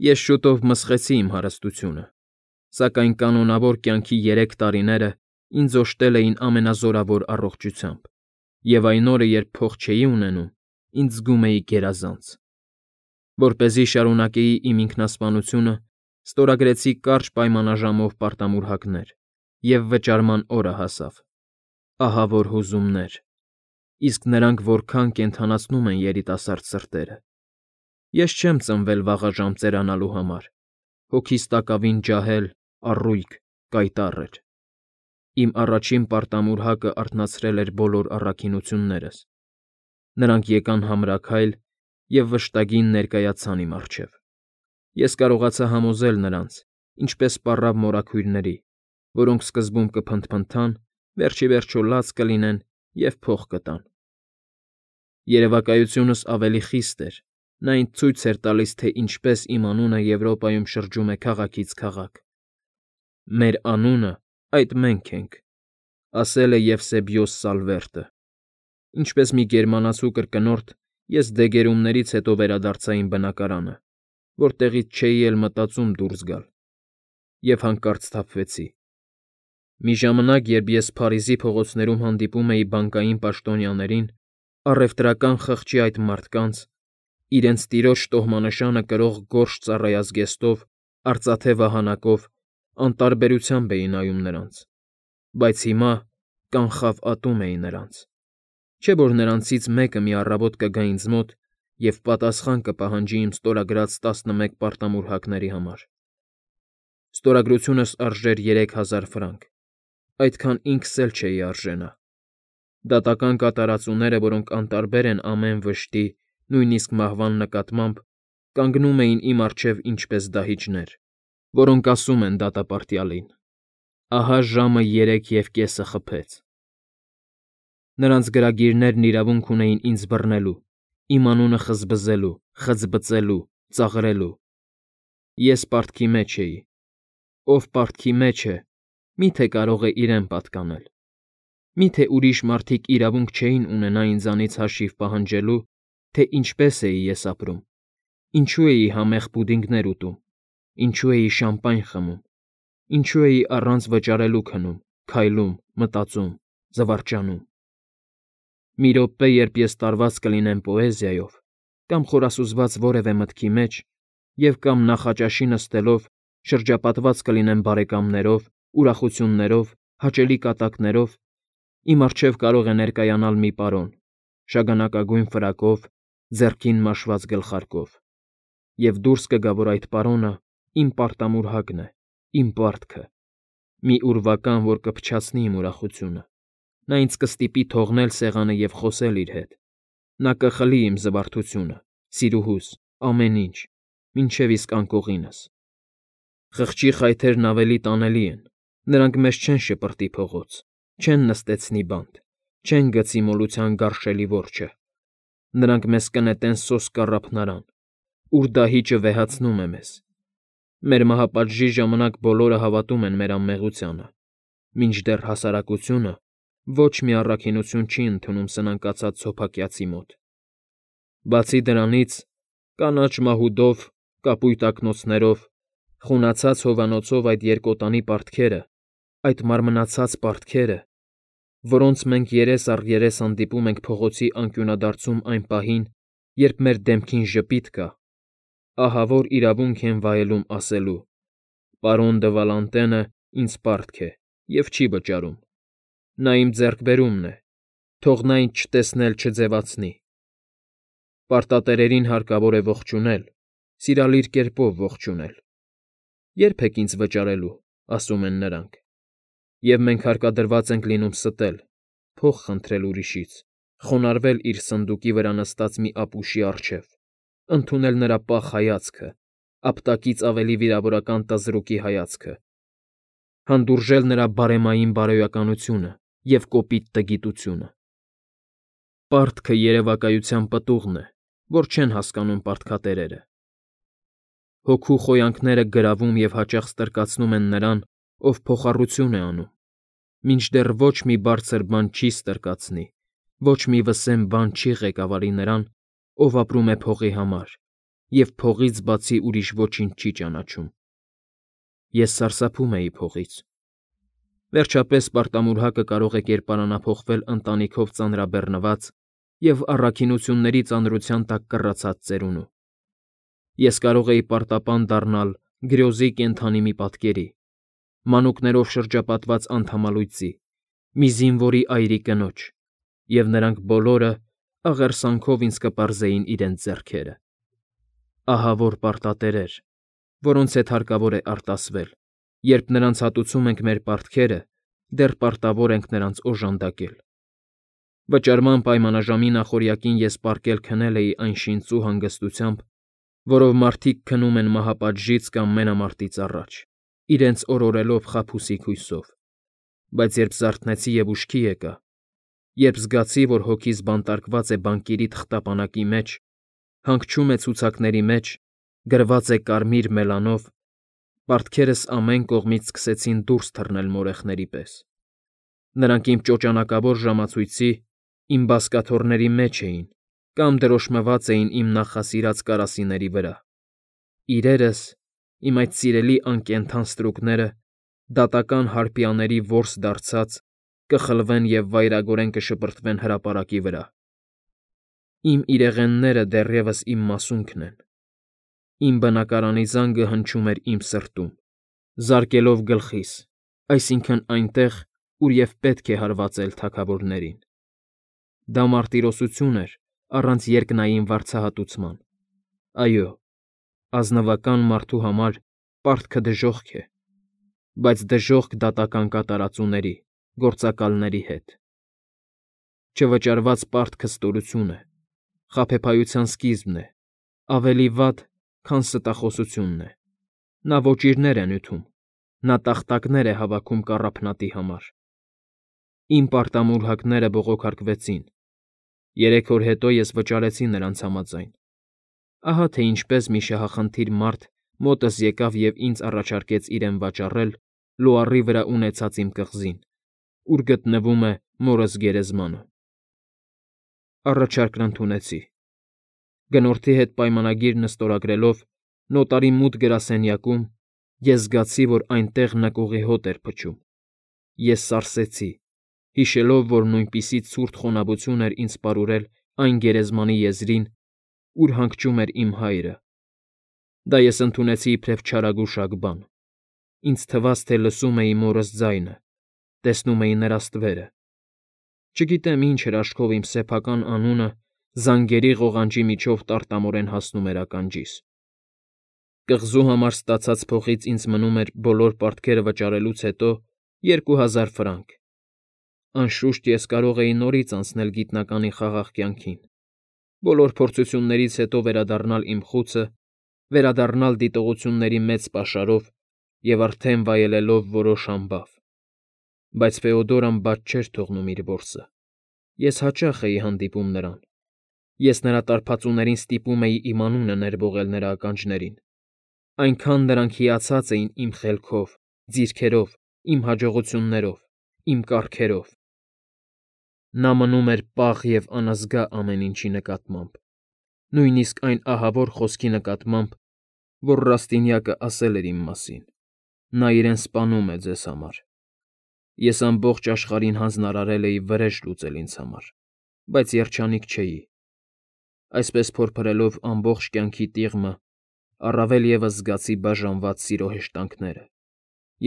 Ես շուտով մսխեցի իմ հարստությունը, սակայն կանոնավոր կյանքի 3 տարիները ինձ օժտել էին ամենազորավոր առողջությամբ, և այն օրը, երբ փող չէի ունենում, ինձ զգում էի գերազանց։ Որպեսզի շարունակեի իմ ինքնասպանությունը, ստորագրեցի կարճ պայմանաժամով պարտամուրհակներ, և վճարման օրը հասավ։ Ահա որ հուզումներ, իսկ նրանք որքան կենդանացնում են երիտասարդ սրտերը։ Ես չեմ ծնվել վաղաժամ ծերանալու համար, հոգիս տակավին ջահել, առույգ, կայտառ էր։ Իմ առաջին պարտամուրհակը արթնացրել էր բոլոր առաքինություններս։ Նրանք եկան համրաքայլ և վշտագին ներկայացան իմ առջև։ Ես կարողացա համոզել նրանց, ինչպես պառավ մորաքույրների, որոնք սկզբում կփնթփնթան, վերջիվերջո լաց կլինեն և փող կտան։ Երևակայությունս ավելի խիստ էր. նա ինձ ցույց էր տալիս, թե ինչպես իմ անունը Եվրոպայում շրջում է քաղաքից քաղաք։ «Մեր անունը այդ մենք ենք», ասել է Եվսեբիոս Սալվերտը։ Ինչպես մի գերմանացու կրկնորդ, ես դեգերումներից հետո վերադարձա իմ բնակարանը, որտեղից չէի էլ մտածում դուրս գալ, և հանկարծ սթափվեցի։ Մի ժամանակ, երբ ես Փարիզի փողոցներում հանդիպում էի բանկային պաշտոնյաներին, առևտրական խղճի այդ մարդկանց, իրենց տիրոջ տոհմանշանը կրող գորշ ծառայազգեստով, արծաթե վահանակով, անտարբերությամբ էի նայում նրանց, բայց հիմա կանխավ ատում էի նրանց։ Չէ՞ որ նրանցից մեկը մի առավոտ կգա ինձ մոտ և պատասխան կպահանջի իմ ստորագրած 11 պարտամուրհակների համար։ Ստորագրությունս արժեր 3000 ֆրանկ, այդքան ինքս էլ չէի արժենա։ Դատական կատարածուները, որոնք անտարբեր են ամեն վշտի, նույնիսկ մահվան նկատմամբ, կանգնում էին իմ առջև ինչպես դահիճներ, որոնք ասում են դատապարտյալին. «Ահա ժամը 3:30 խփեց»։ Նրանց գրագիրներն իրավունք ունեին ինձ բռնելու, իմ անունը խզբզելու, խցբծելու, ծաղրելու։ Ես պարտքի մեջ էի։ Ով պարտքի մեջ է, մի՞թե կարող է իրեն պատկանել։ Մի՞թե ուրիշ մարդիկ իրավունք չէին ունենա ինձանից հաշիվ պահանջելու, թե ինչպես էի ես ապրում, ինչու էի համեղ պուդինգներ ուտում, ինչու էի շամպայն խմում, ինչու էի առանց վճարելու քնում, քայլում, մտածում, զվարճանում։ Մի րոպե, երբ ես տարված կլինեմ պոեզիայով կամ խորասուզված որևէ մտքի մեջ և կամ նախաճաշի նստելով շրջապատված կլինեմ բարեկամներով, ուրախություններով, հաճելի կատակներով, իմ առջև կարող է ներկայանալ մի պարոն, շագանակագույն ֆրակով, ձեռքին մաշված գլխարկով, և դուրս կգա, որ այդ պարոնը իմ պարտամուրհակն է, իմ պարտքը, մի ուրվական, որ կփչացնի իմ ուրախությունը։ Նա ինձ կստիպի թողնել սեղանը և խոսել իր հետ։ Նա կխլի իմ զվարթությունը, սիրուհուս, ամեն ինչ, մինչև իսկ անկողինս։ Խղճի խայթերն ավելի տանելի են, նրանք մեզ չեն շպրտի փողոց, չեն նստեցնի բանտ, չեն գցի մոլության գարշելի որջը։ Նրանք մեզ կնետեն սոսկ առափնարան, ուր դահիճը վեհացնում է մեզ։ Մեր մահապատժի ժամանակ բոլորը հավատում են մեր անմեղությանը, մինչդեռ հասարակությունը ոչ մի առաքինություն չի ընդունում սնանկացած սոփակյացի մոտ։ Բացի դրանից, կանաչ մահուդով, կապույտ ակնոցներով, խունացած հովանոցով այդ երկոտանի պարտքերը, այդ մարմնացած պարտքերը, որոնց մենք երես առ երես հանդիպում ենք փողոցի անկյունադարձում այն պահին, երբ մեր դեմքին ժպիտ կա, ահա որ իրավունք են վայելում ասելու. «Պարոն դը Վալանտենը ինձ պարտք է և չի վճարում։ Նա իմ ձեռքբերումն է, թող նա ինձ չտեսնել չձևացնի»։ Պարտատերերին հարկավոր է ողջունել, սիրալիր կերպով ողջունել։ «Ե՞րբ եք ինձ վճարելու», ասում են նրանք։ Եվ մենք հարկադրված ենք լինում ստել, փող խնդրել ուրիշից, խոնարհվել իր սնդուկի վրա նստած մի ապուշի առջև, ընդունել նրա պաղ հայացքը, ապտակից ավելի վիրավորական տզրուկի հայացքը, հանդուրժել նրա բարեմային բարոյականությունը և կոպիտ տգիտությունը։ Պարտքը երևակայության պտուղն է, որ չեն հասկանում պարտքատերերը։ Հոգու խոյանքները գրավում և հաճախ ստրկացնում են նրան, ով փոխառություն է անում, մինչդեռ ոչ մի բարձր բան չի ստրկացնի, ոչ մի վսեմ բան չի ղեկավարի նրան, ով ապրում է փողի համար, և փողից բացի ուրիշ ոչինչ չի ճանաչում։ Ես սարսափում էի փողից։ Վերջապես պարտամուրհակը կարող է կերպարանափոխվել ընտանիքով ծանրաբեռնված և առաքինությունների ծանրության տակ կռացած ծերունու։ Ես կարող էի պարտապան դառնալ գրոզի կենդանի մի պատկերի, մանուկներով շրջապատված անդամալույծի, մի զինվորի այրի կնոջ, և նրանք բոլորը աղերսանքով ինձ կպարզեին իրենց ձեռքերը։ Ահավոր պարտատերեր, որոնց հետ հարկավոր է արտասվել, երբ նրանց հատուցում ենք մեր պարտքերը, դեռ պարտավոր ենք նրանց օժանդակել։ Վճարման պայմանաժամի նախօրյակին ես պառկել քնել էի այն շինծու հանգստությամբ, որով մարդիկ քնում են մահապատժից կամ մենամարտից առաջ, իրենց օրորելով խաբուսիկ հույսով, բայց երբ զարթնեցի և ուշքի եկա, երբ զգացի, որ հոգիս բանտարկված է բանկերի թղթապանակի մեջ, հանգչում է ցուցակների մեջ, գրված է կարմիր մելանով, պարտքերս ամեն կողմից սկսեցին դուրս թռնել մորեխների պես։ Նրանք իմ ճոճանակավոր ժամացույցի, իմ բազկաթոռների մեջ էին կամ դրոշմված էին իմ նախասիրած կարասիների վրա։ Իրերս, իմ այդ սիրելի անկենդան ստրուկները, դատական հարպիաների որս դարձած, կխլվեն և վայրագորեն կշպրտվեն հրապարակի վրա։ Իմ իրեղենները դեռևս իմ մասունքն են։ Իմ բնակարանի զանգը հնչում էր իմ սրտում, զարկելով գլխիս, այսինքն այնտեղ, ուր և պետք է հարվածել թագավորներին։ Դա մարտիրոսություն էր առանց երկնային վարձահատուցման։ Այո, ազնվական մարդու համար պարտքը դժոխք է, բայց դժոխք դատական կատարածուների, գործակալների հետ։ Չվճարված պարտքը ստորություն է, խաբեբայության սկիզբն է, ավելի վատ, քան ստախոսությունն է։ Նա ոճիրներ է նյութում, նա տախտակներ է հավաքում կառափնատի համար։ Իմ պարտամուրհակները բողոքարկվեցին։ 3 օր հետո ես վճարեցի նրանց համաձայն։ Ահա թե ինչպես մի շահախնդիր մարդ մոտս եկավ և ինձ առաջարկեց իրեն վաճառել լուարի վրա ունեցած իմ կղզին, ուր գտնվում է մորս գերեզմանը։ Առաջարկն ընդունեցի։ Գնորդի հետ պայմանագիրն ստորագրելով նոտարի մութ գրասենյակում, ես զգացի, որ այնտեղ նկուղի հոտ էր փչում։ Ես սարսեցի, հիշելով, որ նույնպիսի ցուրտ խոնավություն էր ինձ պարուրել այն գերեզմանի եզրին, ուր հանգչում էր իմ հայրը։ Դա ես ընդունեցի իբրև չարագուշակ բան։ Ինձ թվաց, թե լսում էի մորս ձայնը, տեսնում էի նրա ստվերը։ Չգիտեմ ինչ էր աչքով իմ սեփական անունը զանգերի ղողանջի միջով տարտամորեն հասնում էր ականջիս։ Կղզու համար ստացած փողից ինձ մնում էր բոլոր պարտքերը վճարելուց հետո 2000 ֆրանկ։ Անշուշտ ես կարող էի նորից անցնել գիտնականի խաղաղ կյանքին, բոլոր փորձություններից հետո վերադառնալ իմ խուցը, վերադառնալ դիտողությունների մեծ պաշարով և արդեն վայելելով որոշ ամբավ։ Բայց Ֆեոդորան բաց չէր թողնում իր որսը։ Ես հաճախ էի հանդիպում նրան։ Ես նրա տարբածուներին ստիպում էի իմ անունը ներբողել նրա ականջներին։ Այնքան նրանք հիացած էին իմ խելքով, ձիրքերով, իմ հաջողություններով, իմ կառքերով։ Նա մնում էր պաղ և անազգա ամեն ինչի նկատմամբ, նույնիսկ այն ահավոր խոսքի նկատմամբ, որ Ռաստինյակը ասել էր իմ մասին. «Նա իրեն սպանում է ձեզ համար»։ Ես ամբողջ աշխարհին հանձնարարել էի վրեժ լուծել ինձ համար, բայց երջանիկ չէի։ Այսպես փորփրելով ամբողջ կյանքի տիղմը, առավել ևս զգացի բաժանված սիրո հեշտանքները։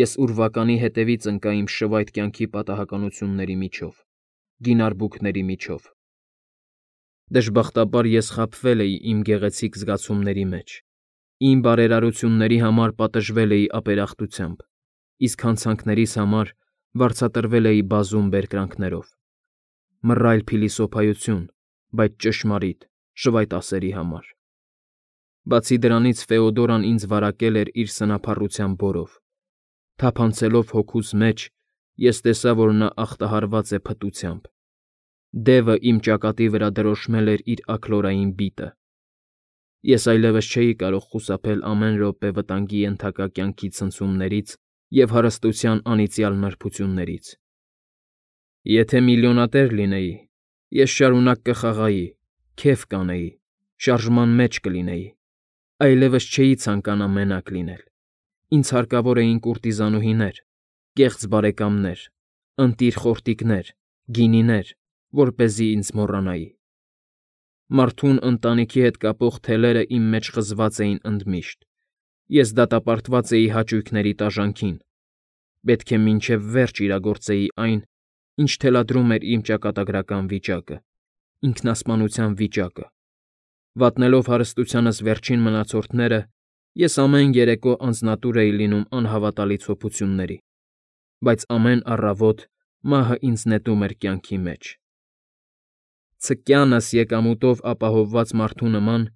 Ես ուրվականի հետևից ընկա իմ շվայտ կյանքի պատահականությունների միջով, գինարբուքների միջով։ Դժբախտաբար ես խաբվել էի իմ գեղեցիկ զգացումների մեջ, իմ բարերարությունների համար պատժվել էի ապերախտությամբ, իսկ հանցանքներիս համար վարձատրվել էի բազում բերկրանքներով։ Մռայլ փիլիսոփայություն, բայց ճշմարիտ, շվայտասերի համար։ Բացի դրանից Ֆեոդորան ինձ վարակել էր իր սնափառության բորով։ Թափանցելով հոգուս մեջ, ես տեսա, որ նա ախտահարված է փտությամբ։ Դևը իմ ճակատի վրա դրոշմել էր իր աքլորային բիտը։ Ես այլևս չէի կարող խուսափել ամեն րոպե վտանգի ենթակա կյանքի ցնցումներից և հարստության անիծյալ նրբություններից։ Եթե միլիոնատեր լինեի, ես շարունակ կխաղայի, քեֆ կանեի, շարժման մեջ կլինեի, Այլևս չէի ցանկանա մենակ լինել։ Ինձ հարկավոր էին կուրտիզանուհիներ, կեղծ բարեկամներ, ընտիր խորտիկներ, գինիներ, որպեսզի ինձ մոռանայի։ Մարդուն ընտանիքի հետ կապող թելերը իմ մեջ խզված էին ընդմիշտ։ Ես դատապարտված էի հաճույքների տաժանքին։ Պետք է մինչև վերջ իրագործեի այն, ինչ թելադրում էր իմ ճակատագրական վիճակը, ինքնասպանության վիճակը։ Վատնելով հարստությանս վերջին մնացորդները, ես ամեն երեկո անձնատուր էի լինում անհավատալի ցոփությունների, բայց ամեն առավոտ մահը ինձ նետում էր կյանքի մեջ։ Ցկյանս եկամուտով ապահովված մարդու նման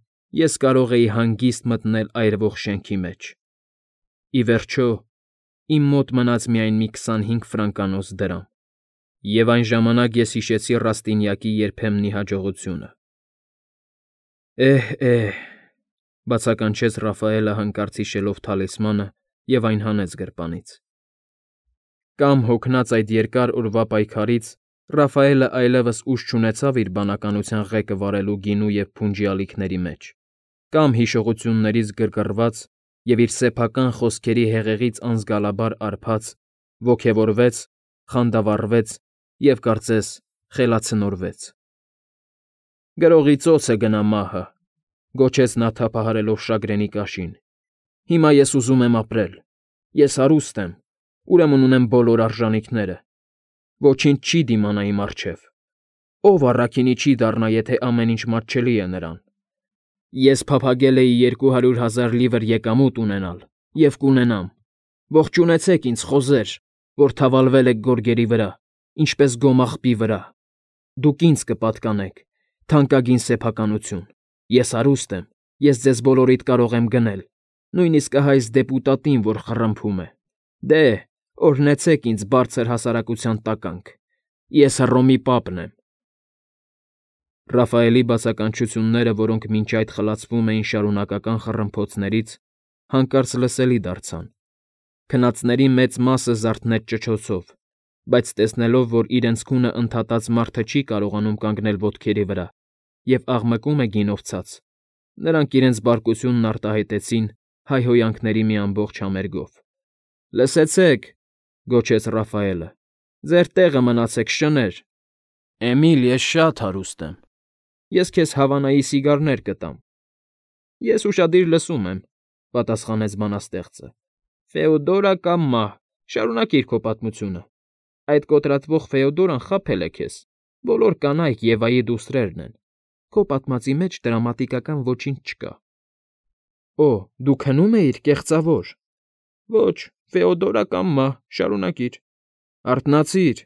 ես կարող էի հանգիստ մտնել այրվող շենքի մեջ։ Ի վերջո, իմ մոտ մնաց միայն մի 25 ֆրանկանոց դրամ, և այն ժամանակ ես հիշեցի Ռաստինյակի երբեմնի հաջողությունը։ Էհ, բացականչեց Ռաֆայելը հանկարծ հիշելով թալիսմանը և այն հանեց գրպանից։ Կամ հոգնած այդ երկար օրվա պայքարից Ռաֆայելը այլևս ուժ չունեցավ իր բանականության ղեկը վարելու գինու և փունջի ալիքների մեջ, կամ հիշողություններից գրգռված և իր սեփական խոսքերի հեղեղից անզգալաբար արբած, ոգևորվեց, խանդավառվեց և, կարծես, խելացնորվեց։ Գրողի ծոցը գնա մահը, գոչեց նա թափահարելով շագրենի կաշին։ Հիմա ես ուզում եմ ապրել։ Ես հարուստ եմ, ուրեմն ունեմ բոլոր արժանինքները։ Ոչինչ չի դիմանա իմ առջև։ Ով առաքինի չի դառնա, եթե ամեն ինչ մատչելի է նրան։ Ես փափագել էի 200,000 լիվր եկամուտ ունենալ և կունենամ։ Ողջունեցեք ինձ, խոզեր, որ թավալվել եք գորգերի վրա, ինչպես գոմաղբի վրա։ Դուք ինձ կպատկանեք, թանկագին սեփականություն։ Ես հարուստ եմ, ես ձեզ բոլորիդ կարող եմ գնել, նույնիսկ ահա այս դեպուտատին, որ խռմփում է։ Դե, օրհնեցեք ինձ բարձր հասարակության տականք։ Ես Հռոմի պապն եմ։ Ռաֆայելի բացականչությունները, որոնք մինչ այդ խլացվում էին շարունակական խռմփոցներից, հանկարծ լսելի դարձան։ Քնածների մեծ մասը զարթնեց ճչոցով, բայց տեսնելով, որ իրենց քունը ընդհատած մարդը չի կարողանում կանգնել ոտքերի վրա և աղմկում է գինով ցած, նրանք իրենց բարկությունն արտահայտեցին հայհոյանքների մի ամբողջ համերգով։ Լսեցեք, գոչեց Ռաֆայելը, ձեր տեղը մնացեք, շներ։ Էմիլ, ես շատ հարուստ եմ։ Ես քեզ Հավանայի սիգարներ կտամ։ Ես ուշադիր լսում եմ, պատասխանեց բանաստեղծը։ Ֆեոդորա կամ մահ, շարունակիր քո պատմությունը։ Այդ կոտրատվող Ֆեոդորան խաբել է քեզ։ Բոլոր կանայք Եվայի դուստրերն են։ Քո պատմածի մեջ դրամատիկական ոչինչ չկա։ Օ, դու քնում էիր, կեղծավոր։ Ոչ, Ֆեոդորա կամ մահ, շարունակիր։ Արթնացիր,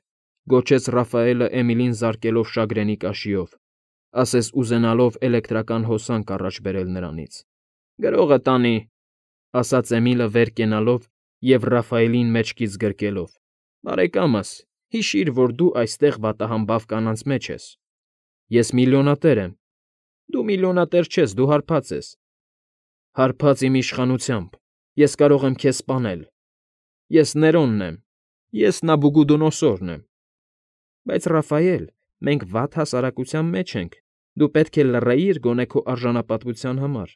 գոչեց Ռաֆայելը Էմիլին զարկելով շագրենի կաշիով, ասես ուզենալով էլեկտրական հոսանք առաջ բերել նրանից։ Գրողը տանի, ասաց Էմիլը վեր կենալով և Ռաֆայելին մեջքից գրկելով։ Բարեկամս, հիշիր, որ դու այստեղ վատահամբավ կանանց մեջ ես։ Ես միլիոնատեր եմ։ Դու միլիոնատեր չես, դու հարբած ես։ Հարբած իմ իշխանությամբ, ես կարող եմ քեզ սպանել։ Ես Ներոնն եմ, ես Նաբուգուդոնոսորն եմ։ Բայց Ռաֆայել, մենք վատ հասարակության մեջ ենք, դու պետք է լռեիր գոնե քո արժանապատվության համար։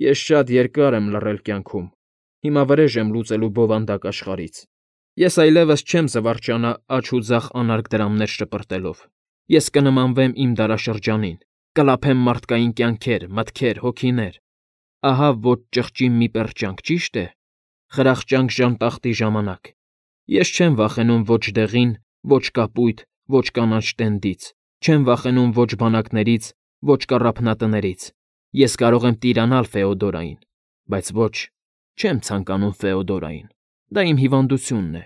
Ես շատ երկար եմ լռել կյանքում, հիմա վրեժ եմ լուծելու բովանդակ աշխարհից։ Ես այլևս չեմ զվարճանա աջ ու ձախ անարգ դրամներ շպրտելով։ Ես կնմանվեմ իմ դարաշրջանին, կլափեմ մարդկային կյանքեր, մտքեր, հոգիներ։ Ահա ոչ ճղճի մի պերճանք, ճիշտ է։ Խրախճանք ժանտախտի ժամանակ։ Ես չեմ վախենում ոչ դեղին, ոչ կապույտ, ոչ կանաչ տենդից, չեմ վախենում ոչ բանակներից, ոչ կառափնատներից։ Ես կարող եմ տիրանալ Ֆեոդորային, բայց ոչ, չեմ ցանկանում Ֆեոդորային։ Դա իմ հիվանդությունն է։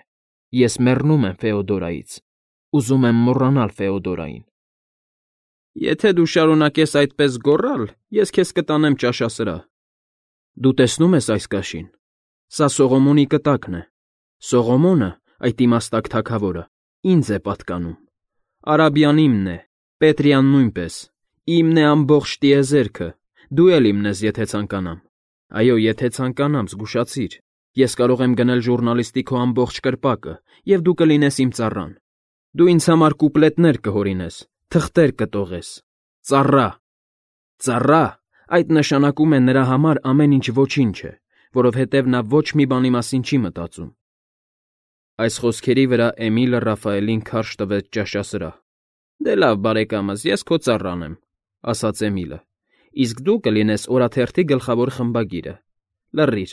Ես մեռնում եմ Ֆեոդորայից։ Ուզում եմ մոռանալ Ֆեոդորային։ Եթե դու շարունակես այդպես գոռալ, ես քեզ կտանեմ ճաշասրահ։ Դու տեսնում ես այս կաշին։ Սա Սողոմոնի կտակն է։ Սողոմոնը, այդ իմաստակ թագավորը, ինձ է պատկանում։ Արաբիան իմն է, Պետրիան նույնպես։ Իմն է ամբողջ տիեզերքը։ Դու էլ իմն ես, եթե ցանկանամ։ Այո, եթե ցանկանամ, զգուշացիր։ Ես կարող եմ գնել ժուռնալիստի քո ամբողջ կրպակը, և դու կլինես իմ ծառան։ Դու ինձ համար կուպլետներ կհորինես, թղթեր կտողես։ Ծառա, ծառա, Այդ նշանակում է նրա համար ամեն ինչ ոչինչ է, որովհետև նա ոչ մի բանի մասին չի մտածում։ Այս խոսքերի վրա Էմիլը Ռաֆայելին քարշ տվեց ճաշասրահ։ Դե լավ, բարեկամս, ես քո ծառան եմ, ասաց Էմիլը, իսկ դու կլինես օրաթերթի գլխավոր խմբագիրը։ Լռիր,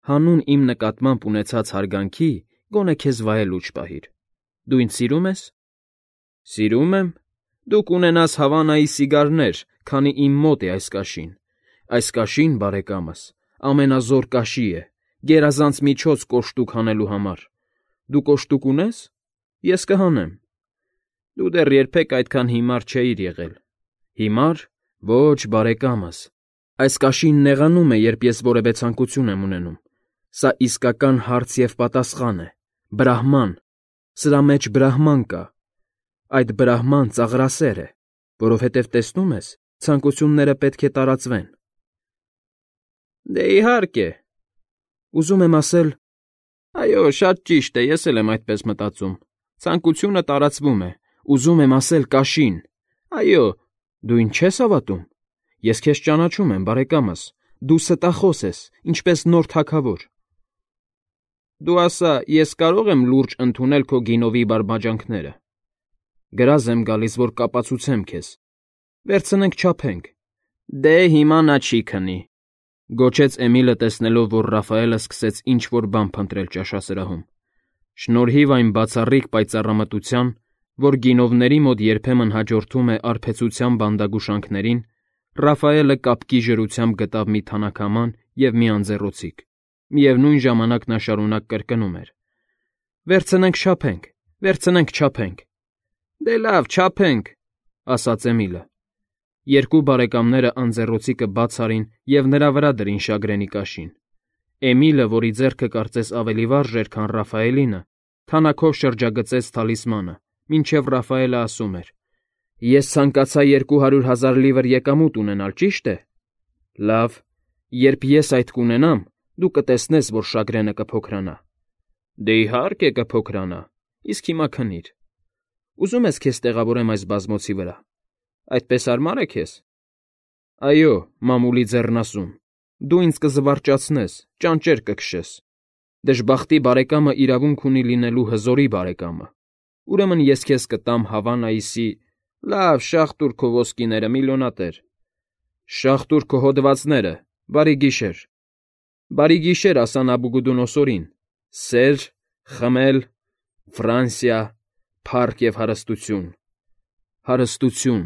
հանուն իմ նկատմամբ ունեցած հարգանքի գոնե քեզ վայելուչ պահիր։ Դու ինձ սիրում ես։ Սիրում եմ։ Դու կունենաս Հավանայի սիգարներ, քանի իմ մոտ է այս կաշին։ Այս կաշին, բարեկամս, ամենազոր կաշի է, գերազանց միջոց կոշտուկ հանելու համար։ Դու կոշտուկ ունես։ Ես կհանեմ։ Դու դեռ երբեք այդքան հիմար չէիր եղել։ Հիմար։ Ոչ, բարեկամս։ Այս կաշին նեղանում է, երբ ես որևէ ցանկություն եմ ունենում։ Սա իսկական հարց և պատասխան է։ Բրահման։ Սրա մեջ բրահման կա։ Այդ բրահման ծաղրասեր է, որովհետև տեսնում ես, ցանկությունները պետք է տարածվեն։ Դե իհարկե։ Ուզում եմ ասել, այո, շատ ճիշտ է, ես էլ եմ այդպես մտածում։ Ցանկությունը տարածվում է, ուզում եմ ասել կաշին։ Այո, դու ինձ չես հավատում։ Ես քեզ ճանաչում եմ, բարեկամս, դու ստախոս ես, ինչպես նոր թագավոր։ Դու ասա, ես կարող եմ լուրջ ընդունել քո գինովի բարբաջանքները։ Գրազ եմ գալիս, որ կապացուցեմ քեզ։ Վերցնենք չափենք։ Դե հիմա նա չի քնի, գոչեց Էմիլը, տեսնելով, որ Ռաֆայելը սկսեց ինչ-որ բան փնտրել ճաշասրահում։ Շնորհիվ այն բացառիկ պայծառամտության, որ գինովների մոտ երբեմն հաջորդում է արբեցության բանդագուշանքներին, Ռաֆայելը կապկի ժրությամբ գտավ մի թանաքաման և մի անձեռոցիկ։ Միևնույն ժամանակ նա շարունակ կրկնում էր. Վերցնենք չափենք, վերցնենք չափենք։ Դե լավ, չափենք, ասաց Էմիլը։ Երկու բարեկամները անձեռոցիկը բաց արին և նրա վրա դրին շագրենի կաշին։ Էմիլը, որի ձեռքը կարծես ավելի վարժ էր, քան Ռաֆայելինը, թանաքով շրջագծեց թալիսմանը, մինչև Ռաֆայելը ասում էր. Ես ցանկացա 200,000 լիվր եկամուտ ունենալ, ճիշտ է։ Լավ, երբ ես այդ կունենամ, դու կտեսնես, որ շագրենը կփոքրանա։ Դե իհարկե կփոքրանա, իսկ հիմա քնիր։ Ուզում ես քեզ տեղավորեմ այս բազմոցի վրա։ Այդպես հարմար է քեզ։ Այո, մամուլի ձեռնասուն, դու ինձ կզվարճացնես, ճանճեր կքշես։ Դժբախտի բարեկամը իրավունք ունի լինելու հզորի բարեկամը։ Ուրեմն ես քեզ կտամ Հավանայիսի, լավ, շաղ տուր քո ոսկիները, միլիոնատեր։ Շաղ տուր քո հոդվածները, բարի գիշեր։ Բարի գիշեր, ասա Նաբուգուդոնոսորին։ Սեր, խմել, Ֆրանսիա, փառք և հարստություն։ Հարստություն։